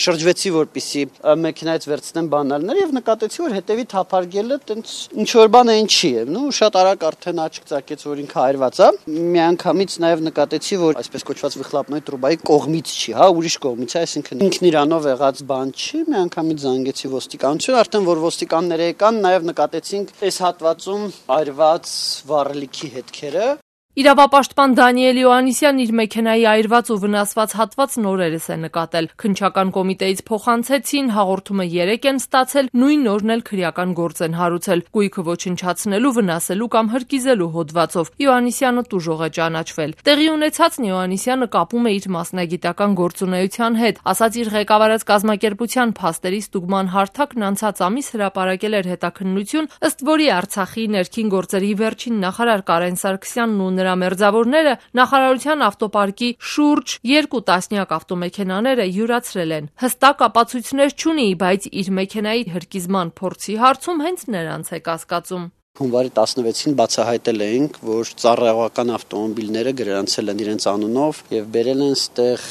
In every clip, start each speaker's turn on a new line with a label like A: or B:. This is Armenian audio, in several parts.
A: շրջվեցի, որպեսզի մեքենայից վերցնեմ բանալները եւ նկատեցի, որ հետեւի թափարգելը տենց ինչ որ բան այն չի է, շատ արագ արդեն աչք ծակեց, որ ինքը այրված է։ Միանգամից նաեւ նկատեցի, որ այսպես կոչված վիխլապնոյ տրուբայի կողմից չի, ուրիշ կողմից է, այսինքն ինքն իրանով եղած բան չի։ Միանգամից զանգեցի ոստիկանություն, արդեն որ ոստիկանները եկան, նաեւ նկատեցինք այս հատվածում այրված վառելիքի հետքերը։
B: Իրավապաշտպան Դանիել Իոաննիսյանն իր մեքենայի այրված ու վնասված հատված նորերս է նկատել։ Քննչական կոմիտեից փոխանցեցին, հաղորդումը 3 են ստացել, նույն օրն էլ քրեական գործ են հարուցել, գույքը ոչնչացնելու, վնասելու կամ հրկիզելու հոդվածով։ Իոաննիսյանը տուժող է ճանաչվել։ Տեղի ունեցածն Իոաննիսյանը կապում է իր մասնագիտական գործունեության հետ, ասաց իր ղեկավարած կազմակերպության փաստերի ստուգման հարթակն անցած ամիս հրապարակել էր հետաքննություն, ըստ որի Արցախի ներքին գործերի վերջին նախարար Կարեն Սարգսյանն ու նրա մերձավորները նախարարության ավտոպարկի շուրջ 2 տասնյակ ավտոմեքենաները յուրացրել են։ Հստակ ապացույցներ չունի, բայց իր մեքենայի հրկիզման փորձի հարցում հենց նրանց է կասկածում։
A: Հունվարի 16-ին բացահայտել էինք, որ ծառայողական ավտոմոբիլները գրանցել են իրենց անունով եւ բերել են ստեղ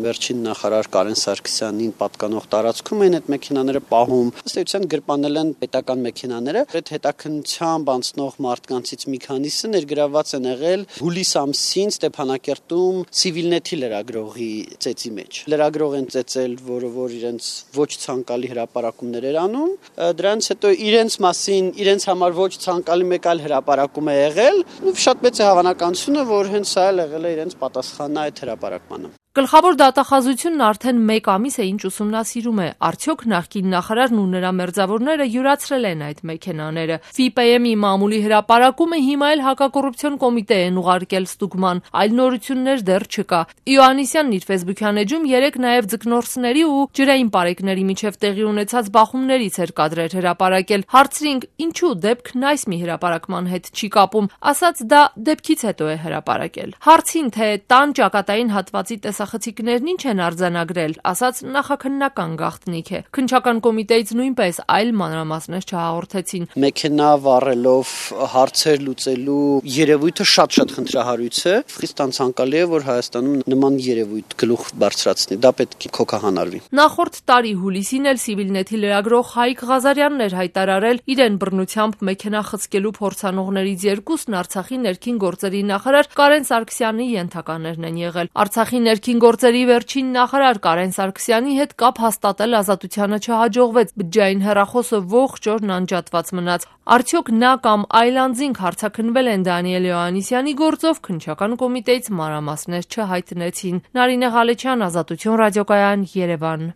A: վերջին նախարար Կարեն Սարգսյանին պատկանող տարածքում են այդ մեքենաները պահում։ Ըստ էության գրպանել են պետական մեքենաները։ Այդ հետաքննությամբ անցնող մարդկանցից մի քանիսը ներգրավված են եղել հուլիս ամսին Ստեփանակերտում Civilnet-ի լրագրողի ծեծի մեջ։ Լրագրող են ծեծել, որ իրենց ոչ ցանկալի հրապարակումներ էր անում։ Դրանից հետո իրենց մասին, իրենց համար ոչ ցանկալի մեկ այլ հրապարակում է եղել, ու շատ մեծ է հավանականությունը, որ հենց սա էլ եղել է իրենց պատասխանը այդ հրապարակմանը։
B: Գլխավոր դատախազությունն արդեն 1 ամիս է ինչ ուսումնասիրում է, արդյոք նախկին նախարարն ու նրա մերձավորները յուրացրել են այդ մեքենաները։ ՖԻՊԵ-ի մամուլի հրապարակումը հիմա էլ հակակոռուպցիոն կոմիտե են ուղարկել ստուգման, այլ նորություններ դեռ չկա։ Իոաննիսյանն իր ֆեյսբուքյան էջում 3 նաև ձկնորսների ու ջրային պարեկների միջև տեղի ունեցած բախումներից էր կադրեր հրապարակել։ Հարցրինք, ինչու դեպքն այս մի հրապարակման հետ չի կապում, ասաց դա դեպքից հետո է հրապարակել։ Հարցին, թե տան ճակատային հատվածի տեսախցիկներն ինչ են արձանագրել, ասաց նախաքննական գաղտնիք է։ Քննչական կոմիտեից նույնպես այլ մանրամասներ չհաղորդեցին։
A: Մեքենա վառելով հարցեր լուծելու երևույթը շատ խնդրահարույց է։ Խիստ անցանկալի է, որ Հայաստանում նման երևույթ գլուխ բարձրացնի, դա պետք է քոքահանարվի։
B: Նախորդ տարի հուլիսին էլ Civilnet-ի լրագրող Հայկ Ղազարյանն էր հայտարարել իրեն բռնությամբ մեքենա խցկելու փորձանողներից 2-ն Արցախի ներքին գործերի նախարար Կարեն Սարգսյանի ենթականերն են եղել։ Արցախի ներքին գործերի վերջին նախարար Կարեն Սարգսյանի հետ կապ հաստատել Ազատությանը չհաջողվեց, բջջային հեռախոսը ողջ օրն անջատված մնաց։ Արդյոք նա կամ այլ անձինք հարձակնվել են Դանիել Իոաննիսյանի գործով, քննչական կոմիտեից մանրամասներ չհայտնեցին։ Նարինե Ղալեչյան, Ազատություն ռադիոկայան, Երևան։